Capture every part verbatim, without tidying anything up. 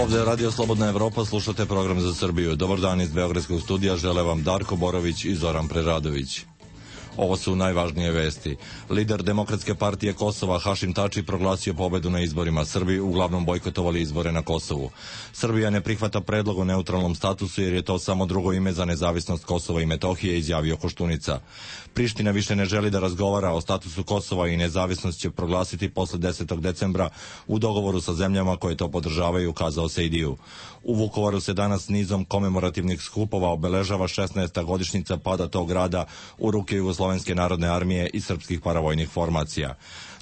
Ovde je Radio Slobodna Evropa, slušate program za Srbiju. Dobar dan iz Beogradskog studija, žele vam Darko Borović i Zoran Preradović. Ovo su najvažnije vesti. Lider Demokratske partije Kosova Hašim Tači proglasio pobedu na izborima. Srbi uglavnom bojkotovali izbore na Kosovu. Srbija ne prihvata predlog o neutralnom statusu jer je to samo drugo ime za nezavisnost Kosova i Metohije, izjavio Koštunica. Priština više ne želi da razgovara o statusu Kosova i nezavisnost će proglasiti posle desetog decembra u dogovoru sa zemljama koje to podržavaju, kazao Sejdiju. U Vukovaru se danas nizom komemorativnih skupova obeležava šesnaesta godišnjica pada tog grada u ruke Jugoslovenske narodne armije i srpskih paravojnih formacija.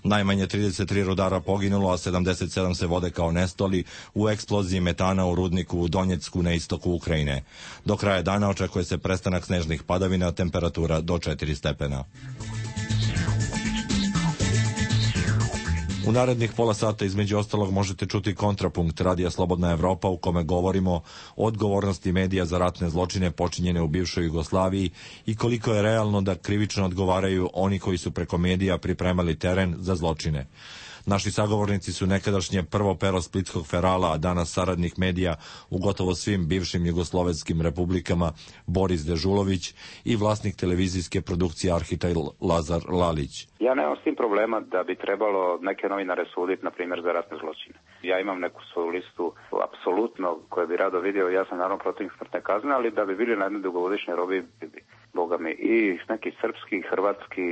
Najmanje trideset tri rudara poginulo, a sedamdeset sedam se vode kao nestali u eksploziji metana u rudniku u Donjecku na istoku Ukrajine. Do kraja dana očekuje se prestanak snežnih padavina, temperatura do četiri stepena. U narednih pola sata između ostalog možete čuti kontrapunkt Radija Slobodna Evropa u kome govorimo o odgovornosti medija za ratne zločine počinjene u bivšoj Jugoslaviji i koliko je realno da krivično odgovaraju oni koji su preko medija pripremali teren za zločine. Naši sagovornici su nekadašnje prvo pero splitskog ferala, a danas saradnik medija u gotovo svim bivšim jugoslovenskim republikama Boris Dežulović i vlasnik televizijske produkcije Arhitaj Lazar Lalić. Ja nemam s tim problema da bi trebalo neke novinare suditi, na primjer, za ratne zločine. Ja imam neku svoju listu apsolutno koju bi rado vidio, ja sam naravno protiv smrtne kazne, ali da bi bili na jednoj dugogodišnjoj robi, boga mi, i neki srpski, hrvatski,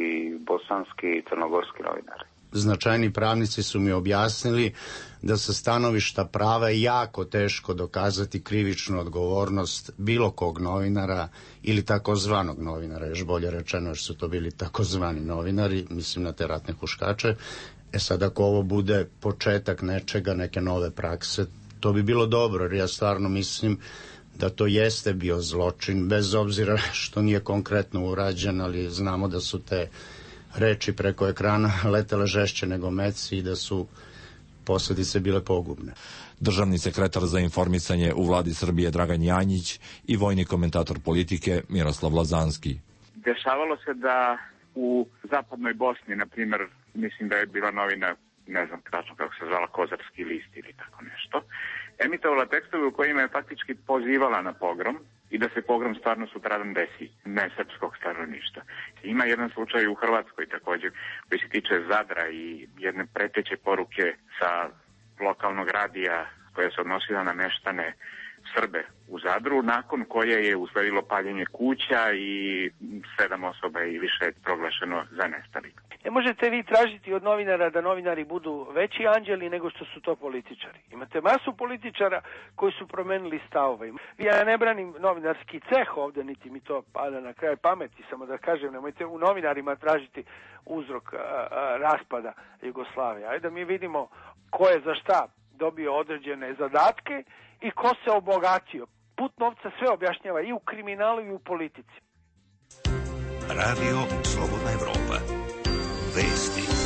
bosanski, crnogorski novinari. Značajni pravnici su mi objasnili da sa stanovišta prava je jako teško dokazati krivičnu odgovornost bilo kog novinara ili takozvanog novinara, još bolje rečeno jer su to bili takozvani novinari, mislim na te ratne huškače. E sad ako ovo bude početak nečega, neke nove prakse, to bi bilo dobro, jer ja stvarno mislim da to jeste bio zločin, bez obzira što nije konkretno urađen, ali znamo da su te reči preko ekrana letele žešće nego meci i da su posledice bile pogubne. Državni sekretar za informisanje u vladi Srbije Dragan Janjić i vojni komentator politike Miroslav Lazanski. Dešavalo se da u zapadnoj Bosni, na primjer, mislim da je bila novina, ne znam tačno kako se zvala, Kozarski list ili tako nešto, emitovala tekstove u kojima je faktički pozivala na pogrom i da se pogrom stvarno sutradan desi, ne srpskog stanovništva. Ima jedan slučaj u Hrvatskoj također koji se tiče Zadra i jedne preteće poruke sa lokalnog radija koja se odnosila na meštane Srbe u Zadru, nakon koje je usledilo paljenje kuća i sedam osoba i više je proglašeno za nestali. Ne možete vi tražiti od novinara da novinari budu veći anđeli nego što su to političari. Imate masu političara koji su promenili stavove. Ja ne branim novinarski ceh ovde, niti mi to pada na kraj pameti, samo da kažem, nemojte u novinarima tražiti uzrok a, a, raspada Jugoslavije. Ajde da mi vidimo ko je za šta dobio određene zadatke i ko se obogatio. Put novca sve objašnjava i u kriminalu i u politici. Radio Slobodna Evropa. Vesti.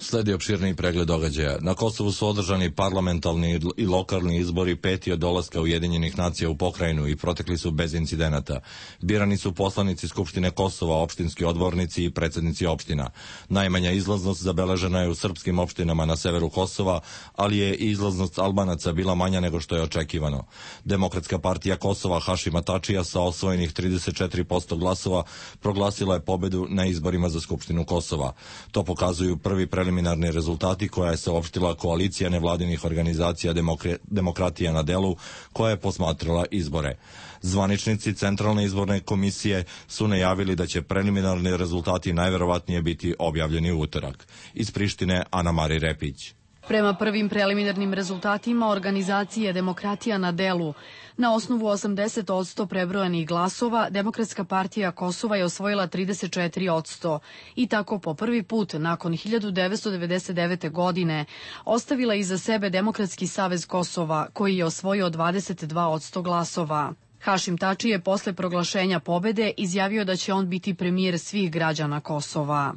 Sledi opširniji pregled događaja. Na Kosovu su održani parlamentarni i lokalni izbori peti od dolaska Ujedinjenih nacija u pokrajinu i protekli su bez incidenata. Birani su poslanici Skupštine Kosova, opštinski odbornici i predsednici opština. Najmanja izlaznost zabeležena je u srpskim opštinama na severu Kosova, ali je i izlaznost Albanaca bila manja nego što je očekivano. Demokratska partija Kosova Hašima Tačija sa osvojenih trideset četiri posto glasova proglasila je pobedu na izborima za Skupštinu Kosova. To pokazuju prvi preliminarni preliminarni rezultati koja je saopštila koalicija nevladinih organizacija Demokra- Demokratija na delu koja je posmatrala izbore. Zvaničnici Centralne izborne komisije su najavili da će preliminarni rezultati najverovatnije biti objavljeni u utorak. Iz Prištine Ana Mari Repić. Prema prvim preliminarnim rezultatima organizacije Demokratija na delu, na osnovu osamdeset posto prebrojanih glasova, Demokratska partija Kosova je osvojila trideset četiri posto i tako po prvi put nakon hiljadu devetsto devedeset devete. godine ostavila iza sebe Demokratski savez Kosova, koji je osvojio dvadeset dva posto glasova. Hašim Tači je posle proglašenja pobede izjavio da će on biti premijer svih građana Kosova.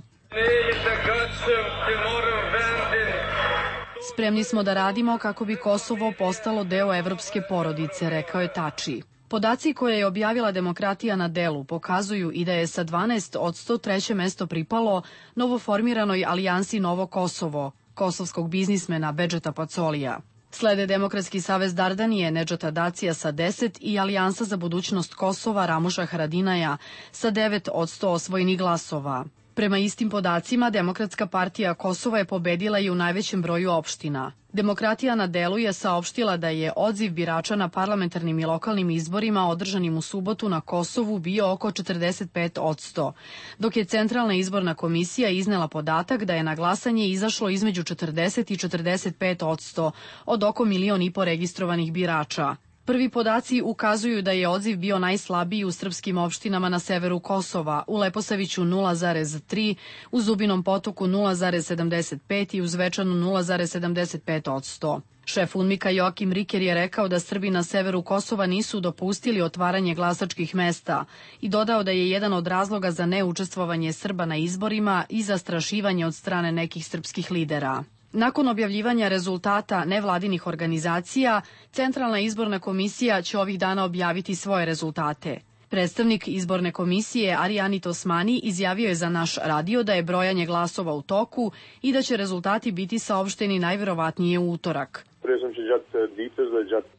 Spremni smo da radimo kako bi Kosovo postalo deo evropske porodice, rekao je Tači. Podaci koje je objavila Demokratija na delu pokazuju i da je sa dvanaest posto treće mesto pripalo novoformiranoj alijansi Novo Kosovo, kosovskog biznismena Bedžeta Pacolija. Slede Demokratski savez Dardanije Nedžata Dacija sa deset i Alijansa za budućnost Kosova Ramuša Haradinaja sa devet odsto osvojenih glasova. Prema istim podacima, Demokratska partija Kosova je pobedila i u najvećem broju opština. Demokratija na delu je saopštila da je odziv birača na parlamentarnim i lokalnim izborima održanim u subotu na Kosovu bio oko četrdeset pet odsto, dok je Centralna izborna komisija iznela podatak da je na glasanje izašlo između četrdeset i četrdeset pet odsto od oko milion i po registrovanih birača. Prvi podaci ukazuju da je odziv bio najslabiji u srpskim opštinama na severu Kosova, u Leposaviću nula zarez tri, u Zubinom Potoku nula zarez sedamdeset pet i u Zvečanu nula zarez sedamdeset pet odsto. Šef UNMIK-a Joakim Riker je rekao da Srbi na severu Kosova nisu dopustili otvaranje glasačkih mesta i dodao da je jedan od razloga za neučestvovanje Srba na izborima i zastrašivanje od strane nekih srpskih lidera. Nakon objavljivanja rezultata nevladinih organizacija, Centralna izborna komisija će ovih dana objaviti svoje rezultate. Predstavnik izborne komisije Arijanit Osmani izjavio je za naš radio da je brojanje glasova u toku i da će rezultati biti saopšteni najverovatnije u utorak.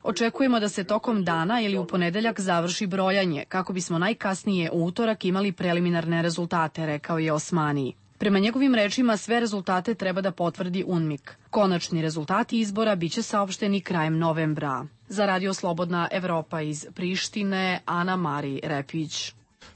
Očekujemo da se tokom dana ili u ponedeljak završi brojanje, kako bismo najkasnije u utorak imali preliminarne rezultate, rekao je Osmani. Prema njegovim rečima, sve rezultate treba da potvrdi UNMIK. Konačni rezultati izbora biće saopšteni krajem novembra. Za Radio Slobodna Evropa iz Prištine, Ana Mari Repić.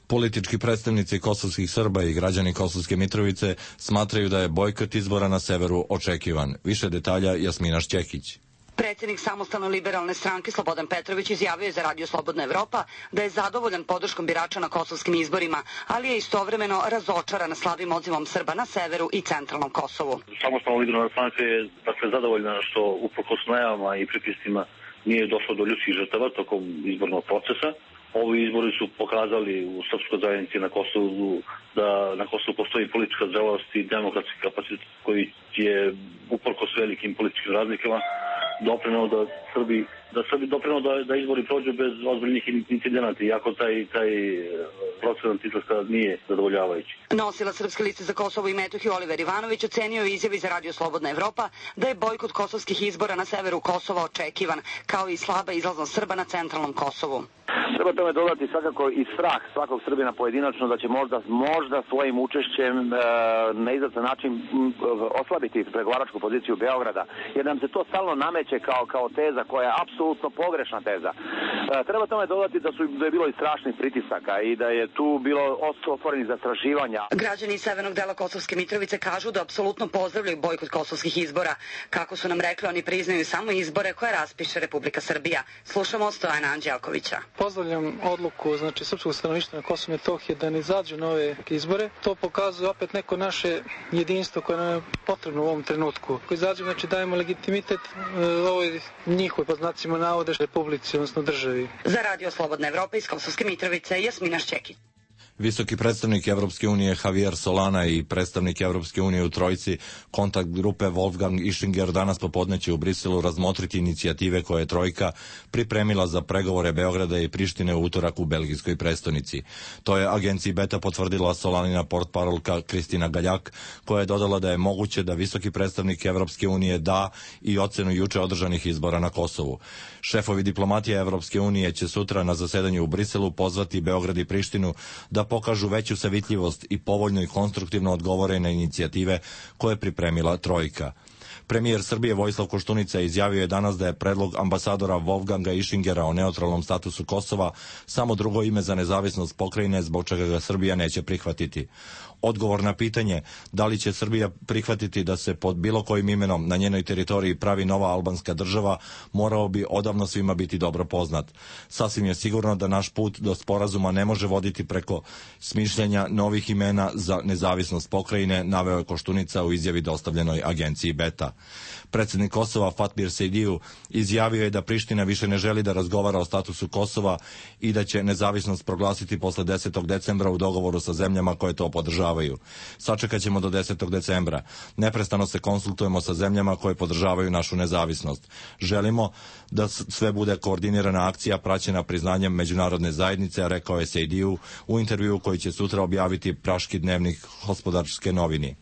Politički predstavnici kosovskih Srba i građani Kosovske Mitrovice smatraju da je bojkot izbora na severu očekivan. Više detalja Jasmina Šćekić. Predsjednik Samostalno liberalne stranke Slobodan Petrović izjavio je za Radio Slobodna Evropa da je zadovoljan podrškom birača na kosovskim izborima, ali je istovremeno razočaran slabim odzivom Srba na severu i centralnom Kosovu. Samostalno liberalna stranka je dakle zadovoljna što uprkos najavama i pritiscima nije došlo do ljudskih žrtava tokom izbornog procesa. Ovi izbori su pokazali u srpskoj zajednici na Kosovu da na Kosovu postoji politička zrelost i demokratski kapacitet koji je uprkos velikim političkim razlikama doprineo da Srbi da Srbi doprineo da, da izbori prođu bez ozbiljnih incidenata, iako taj, taj procenat izlaska nije zadovoljavajući. Nosila Srpske liste za Kosovo i Metohiju Oliver Ivanović ocenio je izjavi za Radio Slobodna Evropa da je bojkot kosovskih izbora na severu Kosova očekivan, kao i slaba izlaznost Srba na centralnom Kosovu. Treba tome dodati svakako i strah svakog Srbina pojedinačno da će možda, možda svojim učešćem e, na izvestan način oslabiti pregovaračku poziciju Beograda, jer nam se to stalno nameće kao, kao teza koja je apsolutno pogrešna teza. E, treba tome dodati da, su, da je bilo i strašnih pritisaka i da je tu bilo otvorenih zastrašivanja. Građani iz severnog dela Kosovske Mitrovice kažu da apsolutno pozdravljaju bojkot kosovskih izbora. Kako su nam rekli, oni priznaju samo izbore koje raspiše Republika Srbija. Slušamo Stojana Anđelkovića. Pozdravljam odluku znači srpskog stanovništva na Kosovu i Metohiji da ne izađu na ove izbore. To pokazuje opet neko naše jedinstvo koje nam je potrebno u ovom trenutku. Ako izađu, znači dajemo legitimitet e, ovoj njihovoj, po znacima navode, republici, odnosno državi. Za Radio Slobodna Evropa iz Kosovske Mitrovice, Jasmina Šćekić. Visoki predstavnik Evropske unije Javier Solana i predstavnik Evropske unije u trojici kontakt grupe Wolfgang Ischinger danas popodne će u Briselu razmotriti inicijative koje je trojka pripremila za pregovore Beograda i Prištine u utorak u belgijskoj prestonici. To je agenciji Beta potvrdila Solanina portparolka Kristina Galjak, koja je dodala da je moguće da visoki predstavnik Evropske unije da i ocenu juče održanih izbora na Kosovu. Šefovi diplomatije Evropske unije će sutra na zasedanju u Briselu pozvati Beograd i Prištinu da pokažu veću savitljivost i povoljno i konstruktivno odgovore na inicijative koje je pripremila trojka. Premijer Srbije Vojislav Koštunica izjavio je danas da je predlog ambasadora Wolfganga Ischingera o neutralnom statusu Kosova samo drugo ime za nezavisnost pokrajine, zbog čega ga Srbija neće prihvatiti. Odgovor na pitanje da li će Srbija prihvatiti da se pod bilo kojim imenom na njenoj teritoriji pravi nova albanska država morao bi odavno svima biti dobro poznat. Sasvim je sigurno da naš put do sporazuma ne može voditi preko smišljanja novih imena za nezavisnost pokrajine, naveo je Koštunica u izjavi dostavljenoj agenciji Beta. Predsjednik Kosova Fatmir Sejdiju izjavio je da Priština više ne želi da razgovara o statusu Kosova i da će nezavisnost proglasiti posle desetog decembra u dogovoru sa zemljama koje to podržavaju. Sačekat ćemo do desetog decembra. Neprestano se konsultujemo sa zemljama koje podržavaju našu nezavisnost. Želimo da sve bude koordinirana akcija praćena priznanjem međunarodne zajednice, rekao je Sejdiju u intervjuu koji će sutra objaviti praški dnevnik Gospodarske novini.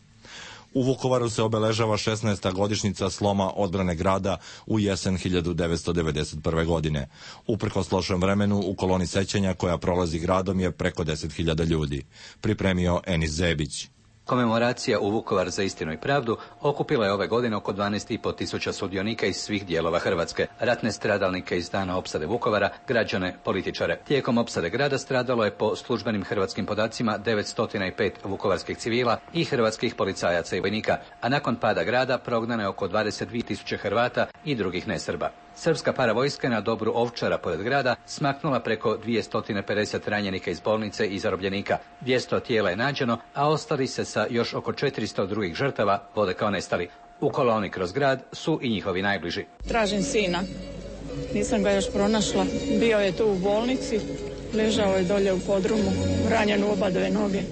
U Vukovaru se obeležava šesnaesta godišnjica sloma odbrane grada u jesen hiljadu devetsto devedeset prve. godine. Uprkos lošem vremenu, u koloni sećanja koja prolazi gradom je preko deset hiljada ljudi. Pripremio Enis Zebić. Komemoracija u Vukovar za istinu i pravdu okupila je ove godine oko dvanaest i po tisuća sudionika iz svih dijelova Hrvatske, ratne stradalnike iz dana opsade Vukovara, građane, političare. Tijekom opsade grada stradalo je po službenim hrvatskim podacima devetsto pet vukovarskih civila i hrvatskih policajaca i vojnika, a nakon pada grada prognano je oko dvadeset dvije tisuće Hrvata i drugih nesrba. Srpska paravojska na Dobru Ovčara pored grada smaknula preko dvjesto pedeset ranjenika iz bolnice i zarobljenika. dvjesto tijela je nađeno, a ostali se sa još oko četiristo drugih žrtava vode kao nestali. U koloni kroz grad su i njihovi najbliži. Tražim sina. Nisam ga još pronašla. Bio je tu u bolnici, ležao je dolje u podrumu, ranjen u obadve noge.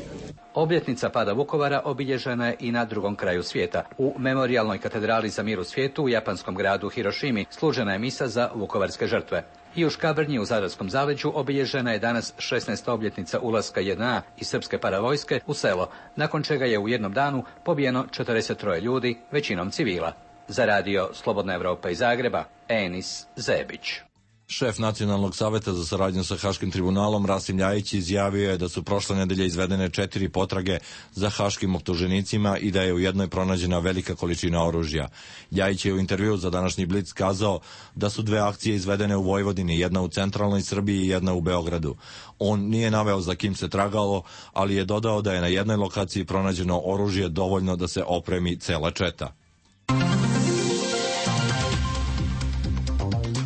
Obljetnica pada Vukovara obilježena je i na drugom kraju svijeta. U memorijalnoj katedrali za mir u svijetu u japanskom gradu Hirošimi služena je misa za vukovarske žrtve. I u Škabrnji u Zadarskom zaleđu obilježena je danas šesnaesta obljetnica ulaska JNA a i srpske paravojske u selo, nakon čega je u jednom danu pobijeno četrdeset tri ljudi, većinom civila. Za radio Slobodna Evropa iz Zagreba, Enis Zebić. Šef Nacionalnog saveta za saradnju sa Haškim tribunalom Rasim Ljajić izjavio je da su prošle nedelje izvedene četiri potrage za haškim optuženicima i da je u jednoj pronađena velika količina oružja. Ljajić je u intervjuu za današnji Blic kazao da su dve akcije izvedene u Vojvodini, jedna u centralnoj Srbiji i jedna u Beogradu. On nije naveo za kim se tragalo, ali je dodao da je na jednoj lokaciji pronađeno oružje dovoljno da se opremi cela četa.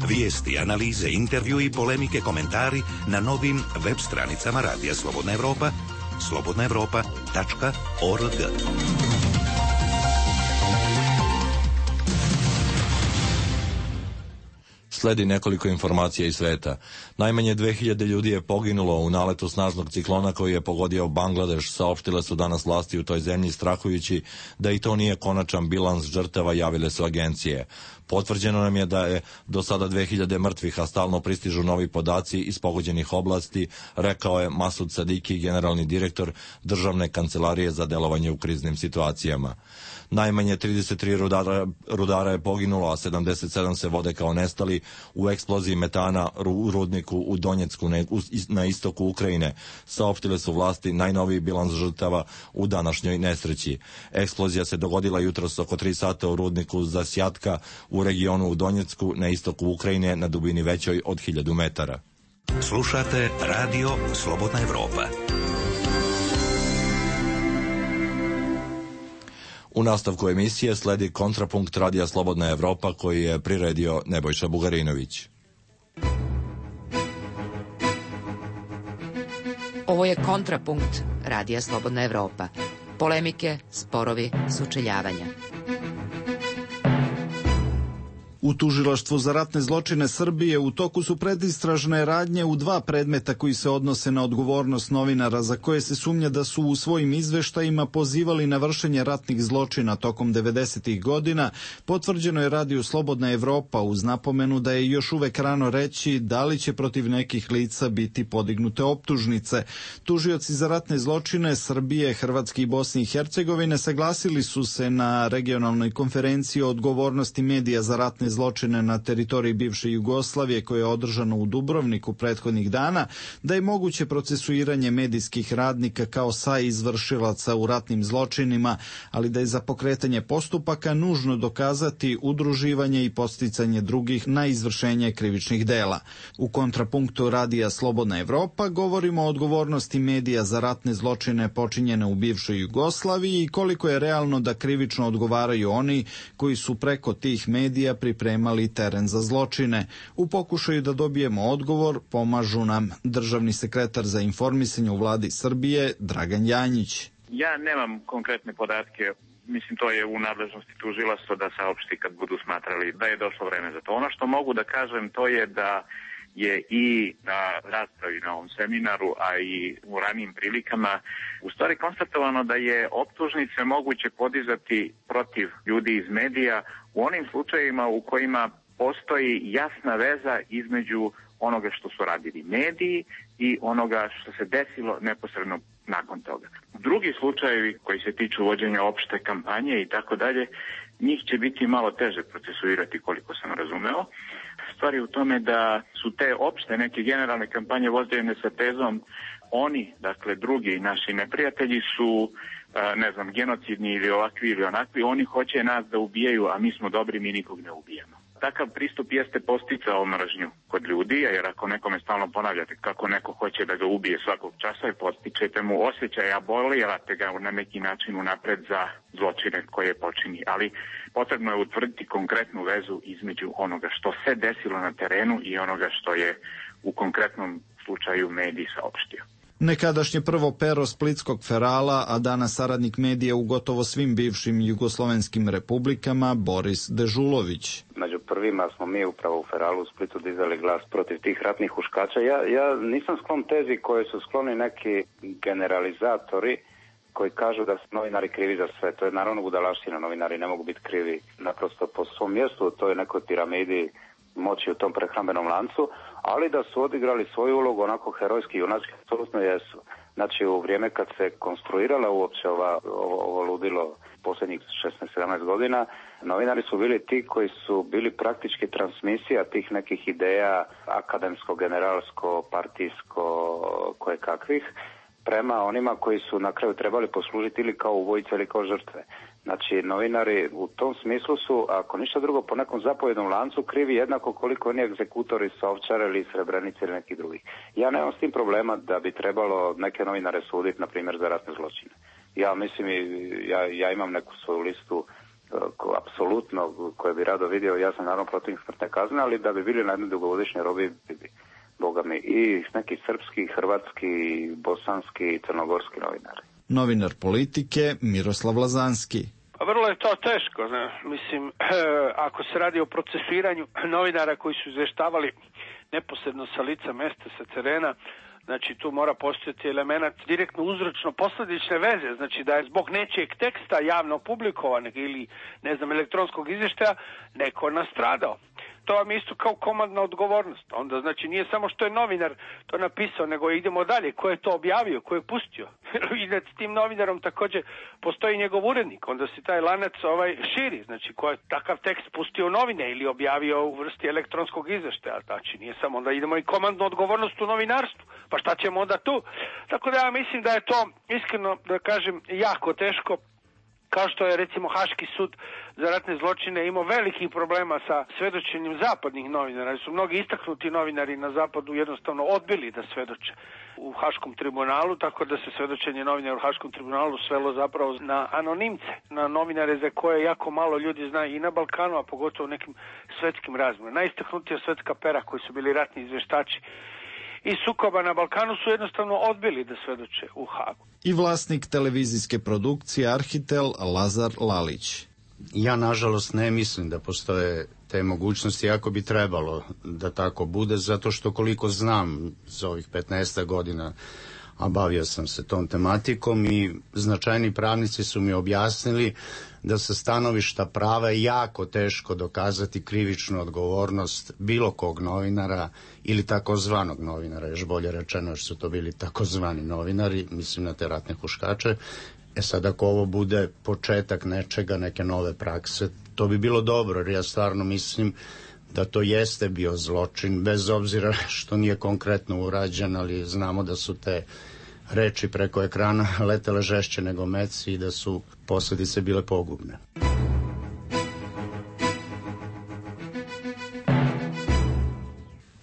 Vijesti, analize, intervju i polemike, komentari na novim web stranicama Radija Slobodna Evropa, slobodna evropa tačka org. Sledi nekoliko informacija iz sveta. Najmanje dve hiljade ljudi je poginulo u naletu snažnog ciklona koji je pogodio Bangladeš, saopštile su danas vlasti u toj zemlji, strahujući da i to nije konačan bilans žrtava, javile su agencije. Potvrđeno nam je da je do sada dve hiljade mrtvih, a stalno pristižu novi podaci iz pogođenih oblasti, rekao je Masud Sadiki, generalni direktor Državne kancelarije za delovanje u kriznim situacijama. Najmanje trideset tri rudara, rudara je poginulo, a sedamdeset sedam se vode kao nestali u eksploziji metana u rudniku u Donjecku na istoku Ukrajine, saopštile su vlasti najnoviji bilans žrtava u današnjoj nesreći. Eksplozija se dogodila jutros oko tri sata u rudniku Zasjatka u regionu u Donjecku na istoku Ukrajine na dubini većoj od hiljadu metara. Slušate Radio Slobodna Evropa. U nastavku emisije sledi kontrapunkt Radija Slobodna Evropa koji je priredio Nebojša Bugarinović. Ovo je kontrapunkt Radija Slobodna Evropa. Polemike, sporovi, sučeljavanja. U Tužilaštvu za ratne zločine Srbije u toku su predistražne radnje u dva predmeta koji se odnose na odgovornost novinara za koje se sumnja da su u svojim izveštajima pozivali na vršenje ratnih zločina tokom devedesetih godina. Potvrđeno je Radiju Slobodna Evropa uz napomenu da je još uvek rano reći da li će protiv nekih lica biti podignute optužnice. Tužioci za ratne zločine Srbije, Hrvatske i Bosne i Hercegovine saglasili su se na regionalnoj konferenciji o odgovornosti medija za ratne zločine na teritoriji bivše Jugoslavije koje je održano u Dubrovniku prethodnih dana, da je moguće procesuiranje medijskih radnika kao saizvršilaca u ratnim zločinima, ali da je za pokretanje postupaka nužno dokazati udruživanje i podsticanje drugih na izvršenje krivičnih dela. U kontrapunktu Radija Slobodna Evropa govorimo o odgovornosti medija za ratne zločine počinjene u bivšoj Jugoslaviji i koliko je realno da krivično odgovaraju oni koji su preko tih medija pripremili pripremali teren za zločine. U pokušaju da dobijemo odgovor pomažu nam državni sekretar za informisanje u vladi Srbije Dragan Janjić. Ja nemam konkretne podatke, mislim to je u nadležnosti tužilaštva da saopšti kad budu smatrali da je došlo vreme za to. Ono što mogu da kažem to je da je i na raspravi na ovom seminaru, a i u ranijim prilikama u stvari konstatovano da je optužnice moguće podizati protiv ljudi iz medija u onim slučajevima u kojima postoji jasna veza između onoga što su radili mediji i onoga što se desilo neposredno nakon toga. Drugi slučajevi koji se tiču vođenja opšte kampanje i tako dalje, njih će biti malo teže procesuirati koliko sam razumeo. Stvar je u tome da su te opšte neke generalne kampanje vođene sa tezom oni, dakle drugi naši neprijatelji su, ne znam, genocidni ili ovakvi ili onakvi, oni hoće nas da ubijaju, a mi smo dobri, mi nikog ne ubijamo. Takav pristup jeste posticao mržnju kod ljudi, jer ako nekome stalno ponavljate kako neko hoće da ga ubije svakog časa i postičete mu osjećaj, a bolirate ga na neki način unapred za zločine koje počini. Ali potrebno je utvrditi konkretnu vezu između onoga što se desilo na terenu i onoga što je u konkretnom slučaju mediji saopštio. Nekadašnje prvo pero splitskog Ferala, a danas saradnik medija u gotovo svim bivšim jugoslovenskim republikama, Boris Dežulović. Među prvima smo mi upravo u Feralu u Splitu dizali glas protiv tih ratnih huškača. Ja, ja nisam sklon tezi koje su skloni neki generalizatori koji kažu da su novinari krivi za sve. To je naravno budalaština, novinari ne mogu biti krivi naprosto po svom mjestu, to je nekoj piramidi moći u tom prehrambenom lancu, ali da su odigrali svoju ulogu onako herojski i junački, apsolutno jesu. Znači u vrijeme kad se konstruirala uopće ova, ovo, ovo ludilo posljednjih šesnaest sedamnaest godina, novinari su bili ti koji su bili praktički transmisija tih nekih ideja akademsko, generalsko, partijsko, koje kakvih, prema onima koji su na kraju trebali poslužiti ili kao ubojice ili kao žrtve. Znači, novinari u tom smislu su, ako ništa drugo, po nekom zapovjednom lancu krivi jednako koliko oni egzekutori sa Ovčare ili Srebrenice ili nekih drugih. Ja nemam s tim problema da bi trebalo neke novinare suditi, na primjer, za ratne zločine. Ja mislim, ja, ja imam neku svoju listu ko, apsolutno koju bi rado vidio, ja sam naravno protiv smrtne kazne, ali da bi bili na jednoj dugogodišnjoj robi, bi, boga mi, i neki srpski, hrvatski, bosanski i crnogorski novinari. Novinar politike Miroslav Lazanski. Pa vrlo je to teško, ne? Mislim, ako se radi o procesuiranju novinara koji su izveštavali neposredno sa lica mesta, sa terena, znači tu mora postojati element direktno uzročno posledične veze, znači da je zbog nečijeg teksta javno publikovanog ili, ne znam, elektronskog izvještaja neko nastradao. To vam je isto kao komandna odgovornost. Onda znači nije samo što je novinar to napisao, nego idemo dalje. Ko je to objavio, ko je pustio. I da s tim novinarom također postoji njegov urednik. Onda se taj lanac ovaj širi. Znači ko je takav tekst pustio u novine ili objavio u vrsti elektronskog izvještaja. Znači nije samo, onda idemo i komandnu odgovornost u novinarstvu. Pa šta ćemo onda tu? Tako da ja mislim da je to, iskreno da kažem, jako teško. Kao što je recimo Haški sud za ratne zločine imao velikih problema sa svedočenjem zapadnih novinara. Su mnogi istaknuti novinari na zapadu jednostavno odbili da svedoče u Haškom tribunalu, tako da se svedočenje novinara u Haškom tribunalu svelo zapravo na anonimce, na novinare za koje jako malo ljudi zna i na Balkanu, a pogotovo u nekim svetskim razmjerima. Najistaknutija svetska pera koji su bili ratni izvještači i sukoba na Balkanu su jednostavno odbili da svedoče u Hagu. I vlasnik televizijske produkcije Arhitel Lazar Lalić. Ja nažalost ne mislim da postoje te mogućnosti, ako bi trebalo da tako bude, zato što koliko znam za ovih petnaest godina, a bavio sam se tom tematikom i značajni pravnici su mi objasnili da sa stanovišta prava je jako teško dokazati krivičnu odgovornost bilo kog novinara ili takozvanog novinara, još bolje rečeno što su to bili takozvani novinari, mislim na te ratne huškače. E sad ako ovo bude početak nečega, neke nove prakse, to bi bilo dobro, jer ja stvarno mislim da to jeste bio zločin, bez obzira što nije konkretno urađen, ali znamo da su te reči preko ekrana letele žešće nego meci i da su posljedice bile pogubne.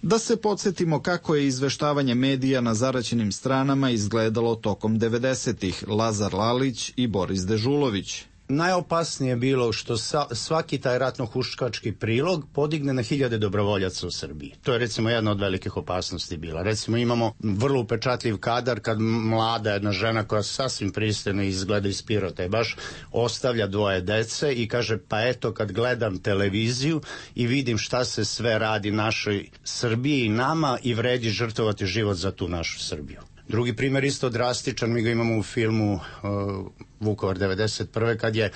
Da se podsjetimo kako je izveštavanje medija na zaraćenim stranama izgledalo tokom devedesetih. Lazar Lalić i Boris Dežulović. Najopasnije je bilo što sa, svaki taj ratno-huškački prilog podigne na hiljade dobrovoljaca u Srbiji. To je recimo jedna od velikih opasnosti bila. Recimo imamo vrlo upečatljiv kadar kad mlada jedna žena koja sasvim pristojno izgleda iz Pirota i baš ostavlja dvoje dece i kaže pa eto kad gledam televiziju i vidim šta se sve radi našoj Srbiji i nama i vredi žrtvovati život za tu našu Srbiju. Drugi primjer isto drastičan, mi ga imamo u filmu uh, Vukovar devedeset prve kad je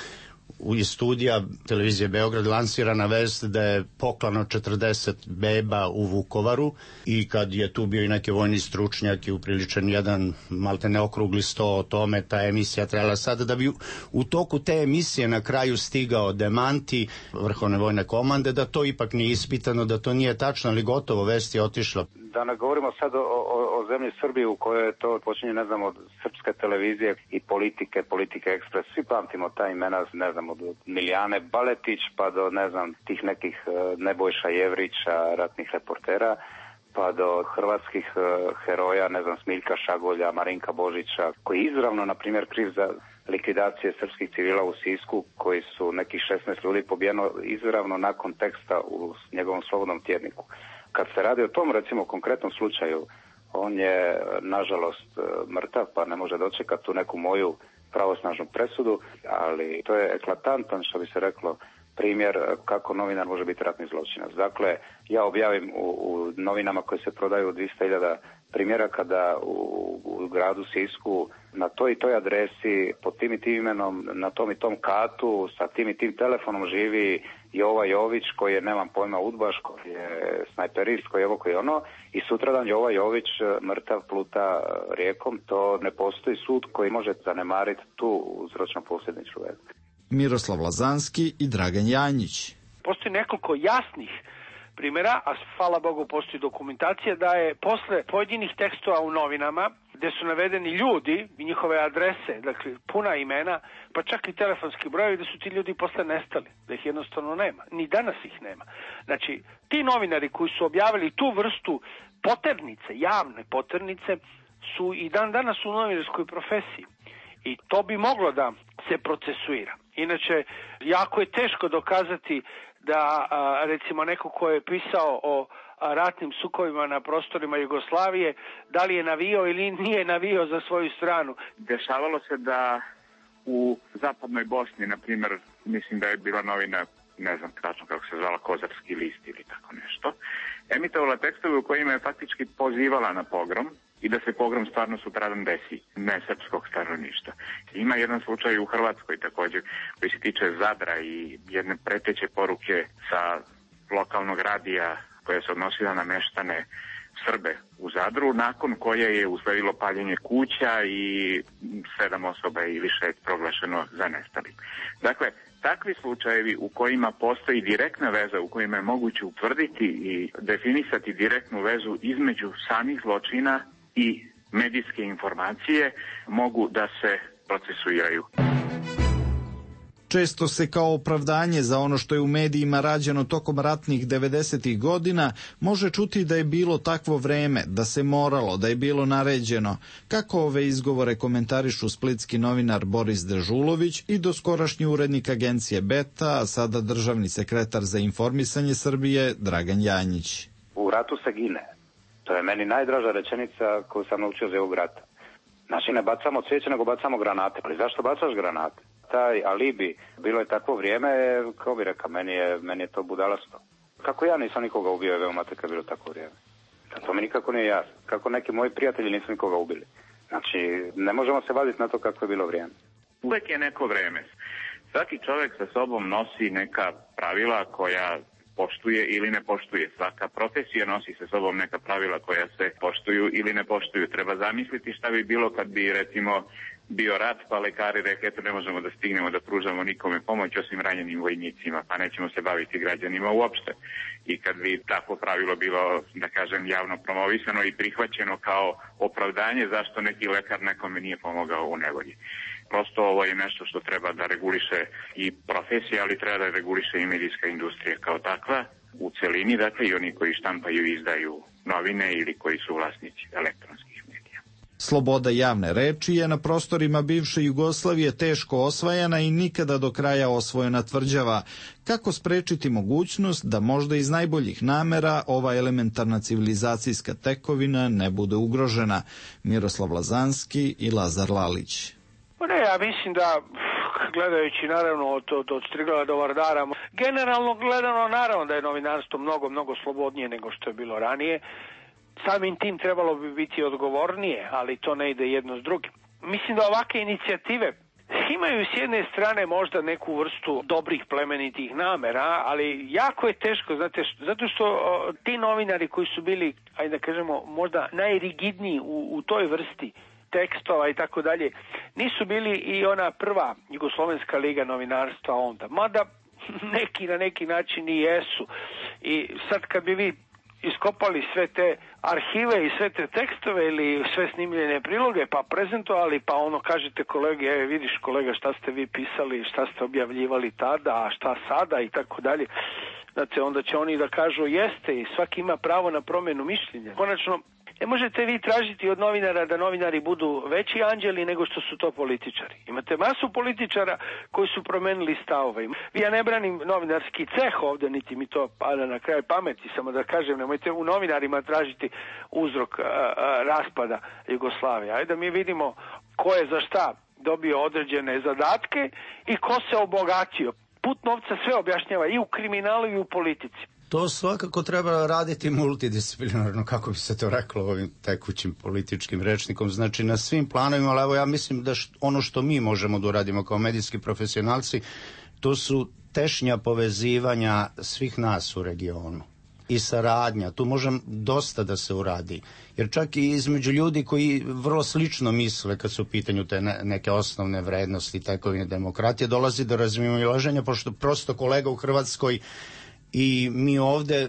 iz studija televizije Beograd lansirana vest da je poklano četrdeset beba u Vukovaru i kad je tu bio i neki vojni stručnjak i upriličen jedan malte ne okrugli sto o tome, ta emisija trebala sada da bi u toku te emisije na kraju stigao demanti Vrhovne vojne komande da to ipak nije ispitano, da to nije tačno, ali gotovo, vest je otišla. Da ne govorimo sad o, o, o zemlji Srbiji u kojoj je to počinje, ne znam, od srpske televizije i politike, politike ekspres. Svi pamtimo ta imena, ne znam, od Milijane Baletić pa do, ne znam, tih nekih Nebojša Jevrića, ratnih reportera, pa do hrvatskih heroja, ne znam, Smiljka Šagolja, Marinka Božića, koji je izravno, na primjer, kriv za likvidacije srpskih civila u Sisku, koji su nekih šesnaest ljudi pobijeno izravno nakon teksta u njegovom slobodnom tjedniku. Kad se radi o tom, recimo, konkretnom slučaju, on je, nažalost, mrtav, pa ne može dočekati tu neku moju pravosnažnu presudu, ali to je eklatantan, što bi se reklo, primjer kako novinar može biti ratni zločinac. Dakle, ja objavim u, u novinama koje se prodaju dvjesto hiljada primjera kada u, u gradu Sisku na toj i toj adresi, pod tim i tim imenom, na tom i tom katu, sa tim i tim telefonom živi Jova Jović, koji je, nemam pojma, udbaš, koji je snajperist, koji je ovo, koji je ono, i sutradan Jova Jović mrtav pluta rijekom. To ne postoji sud koji može zanemariti tu uzročno-posljedičnu vezu. Miroslav Lazanski i Dragan Janjić. Postoji nekoliko jasnih primjera, a hvala Bogu postoji dokumentacija da je posle pojedinih tekstova u novinama gde su navedeni ljudi i njihove adrese, dakle puna imena, pa čak i telefonski brojevi, da su ti ljudi posle nestali, da ih jednostavno nema. Ni danas ih nema. Znači, ti novinari koji su objavili tu vrstu poternice, javne poternice, su i dan danas u novinarskoj profesiji. I to bi moglo da se procesuira. Inače, jako je teško dokazati da, recimo, neko ko je pisao o ratnim sukobima na prostorima Jugoslavije, da li je navio ili nije navio za svoju stranu. Dešavalo se da u zapadnoj Bosni, na primjer, mislim da je bila novina, ne znam tačno kako se zvala, Kozarski list ili tako nešto, emitovala tekstove u kojima je faktički pozivala na pogrom i da se pogrom stvarno sutradan desi, ne srpskog stanovništva. Ima jedan slučaj u Hrvatskoj također koji se tiče Zadra i jedne preteće poruke sa lokalnog radija koja se odnosila na meštane Srbe u Zadru, nakon koje je usledilo paljenje kuća i sedam osoba i više proglašeno za nestali. Dakle, takvi slučajevi u kojima postoji direktna veza, u kojima je moguće utvrditi i definisati direktnu vezu između samih zločina i medijske informacije, mogu da se procesuiraju. Često se kao opravdanje za ono što je u medijima rađeno tokom ratnih devedesetih godina može čuti da je bilo takvo vreme, da se moralo, da je bilo naređeno. Kako ove izgovore komentarišu splitski novinar Boris Dežulović i doskorašnji urednik agencije Beta, a sada državni sekretar za informisanje Srbije Dragan Janjić. U ratu se gine. To je meni najdraža rečenica koju sam naučio za ovog rata. Znači, ne bacamo cvijeće, nego bacamo granate. Ali zašto bacaš granate? Taj alibi, bilo je takvo vrijeme, kao bi rekao, meni je, meni je to budalasto. Kako ja nisam nikoga ubio, je veoma kad je bilo takvo vrijeme. To mi nikako nije jasno. Kako neki moji prijatelji nisu nikoga ubili. Znači, ne možemo se vaditi na to kako je bilo vrijeme. Uvek je neko vrijeme. Svaki čovjek sa sobom nosi neka pravila koja poštuje ili ne poštuje. Svaka profesija nosi sa sobom neka pravila koja se poštuju ili ne poštuju. Treba zamisliti šta bi bilo kad bi, recimo, bio rat, pa lekari rekli, eto, ne možemo da stignemo da pružamo nikome pomoć osim ranjenim vojnicima, pa nećemo se baviti građanima uopšte. I kad bi takvo pravilo bilo, da kažem, javno promovisano i prihvaćeno kao opravdanje zašto neki lekar nekome nije pomogao u nevolji. Prosto ovo je nešto što treba da reguliše i profesija, ali treba da reguliše i medijska industrija kao takva u celini, dakle i oni koji štampaju i izdaju novine ili koji su vlasnici elektronskih medija. Sloboda javne reči je na prostorima bivše Jugoslavije teško osvajana i nikada do kraja osvojena tvrđava. Kako sprečiti mogućnost da možda iz najboljih namera ova elementarna civilizacijska tekovina ne bude ugrožena? Miroslav Lazanski i Lazar Lalić. Pa ne, ja mislim da, gledajući naravno od, od, od Striglava do Vardara, generalno gledano naravno da je novinarstvo mnogo, mnogo slobodnije nego što je bilo ranije. Samim tim trebalo bi biti odgovornije, ali to ne ide jedno s drugim. Mislim da ovakve inicijative imaju s jedne strane možda neku vrstu dobrih plemenitih namera, ali jako je teško, znate, zato što o, ti novinari koji su bili, ajde da kažemo, možda najrigidniji u, u toj vrsti tekstova i tako dalje, nisu bili i ona prva Jugoslovenska liga novinarstva onda, mada neki na neki način i jesu. I sad kad bi vi iskopali sve te arhive i sve te tekstove ili sve snimljene priloge pa prezentovali, pa ono kažete kolege, e, vidiš kolega šta ste vi pisali, šta ste objavljivali tada, a šta sada i tako dalje, znači onda će oni da kažu jeste i svaki ima pravo na promjenu mišljenja. Konačno, ne možete vi tražiti od novinara da novinari budu veći anđeli nego što su to političari. Imate masu političara koji su promenili stavove. Ja ne branim novinarski ceh ovde, niti mi to pada na kraj pameti, samo da kažem, nemojte u novinarima tražiti uzrok a, a, raspada Jugoslavije. Ajde da mi vidimo ko je za šta dobio određene zadatke i ko se obogatio. Put novca sve objašnjava i u kriminalu i u politici. To svakako treba raditi multidisciplinarno, kako bi se to reklo ovim tekućim političkim rečnikom, znači na svim planovima, ali evo ja mislim da št, ono što mi možemo da uradimo kao medijski profesionalci, to su tešnja povezivanja svih nas u regionu i saradnja, tu može dosta da se uradi, jer čak i između ljudi koji vrlo slično misle kad su u pitanju te ne, neke osnovne vrednosti, tekovine demokratije, dolazi do razmimoilaženja, pošto prosto kolega u Hrvatskoj i mi ovde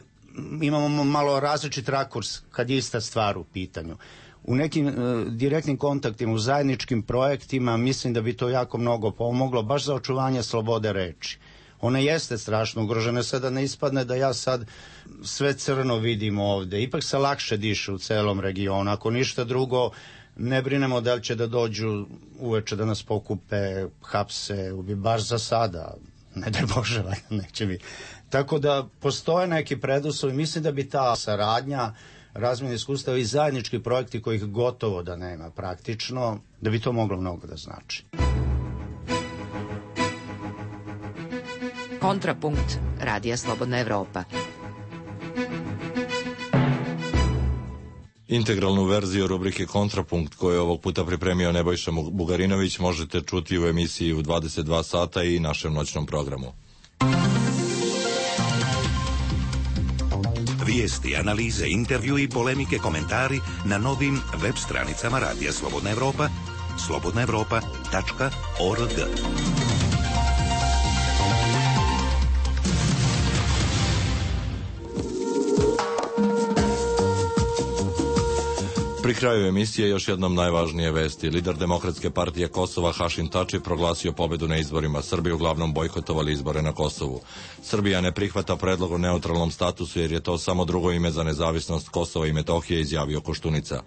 imamo malo različit rakurs kad je ista stvar u pitanju. U nekim e, direktnim kontaktima, u zajedničkim projektima mislim da bi to jako mnogo pomoglo, baš za očuvanje slobode reči. Ona jeste strašno ugrožena, sada ne ispadne da ja sad sve crno vidim ovde. Ipak se lakše diše u celom regionu. Ako ništa drugo, ne brinemo da li će da dođu uveče da nas pokupe, hapse, baš za sada. Ne daj Bože, neće mi. Tako da postoje neki preduslovi, mislim da bi ta saradnja, razmjena iskustava i zajednički projekti kojih gotovo da nema praktično, da bi to moglo mnogo da znači. Kontrapunkt Radija Slobodna Evropa. Integralnu verziju rubrike Kontrapunkt koju je ovog puta pripremio Nebojša Bugarinović možete čuti u emisiji u dvadeset dva sata i našem noćnom programu. Vijesti, analize, intervju i polemike, komentari na novim web stranicama Radija Slobodna Evropa, slobodna evropa tačka org. Pri kraju emisije još jednom najvažnije vesti. Lider Demokratske partije Kosova Hašim Tači proglasio pobedu na izborima. Srbi uglavnom bojkotovali izbore na Kosovu. Srbija ne prihvata predlog o neutralnom statusu jer je to samo drugo ime za nezavisnost Kosova i Metohije, izjavio Koštunica.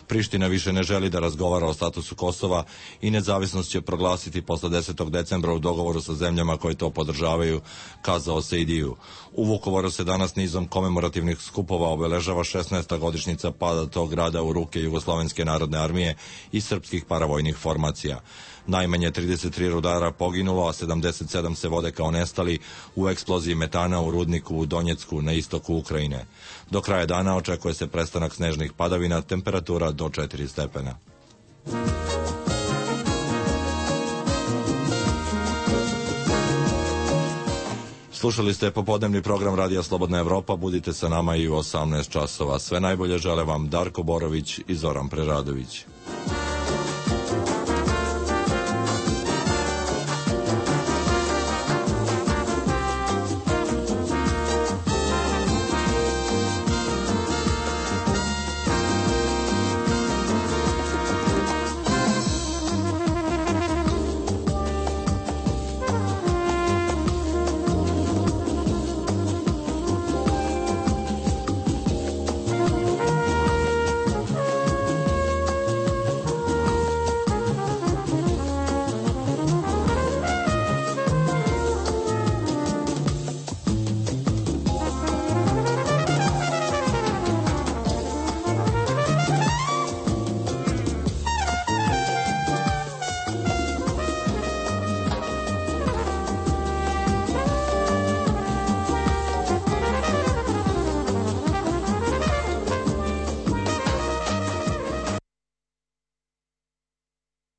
Priština više ne želi da razgovara o statusu Kosova i nezavisnost će proglasiti posle desetog decembra u dogovoru sa zemljama koje to podržavaju, kazao Sejdiju. U Vukovaru se danas nizom komemorativnih skupova obeležava šesnaesta godišnjica pada tog grada u ruke Jugoslovenske narodne armije i srpskih paravojnih formacija. Najmanje trideset tri rudara poginulo, a sedamdeset sedam se vode kao nestali u eksploziji metana u rudniku u Donjecku na istoku Ukrajine. Do kraja dana očekuje se prestanak snežnih padavina, temperatura do četiri stepena. Slušali ste popodnevni program Radija Slobodna Evropa, budite sa nama i u osamnaest časova. Sve najbolje žele vam Darko Borović i Zoran Preradović.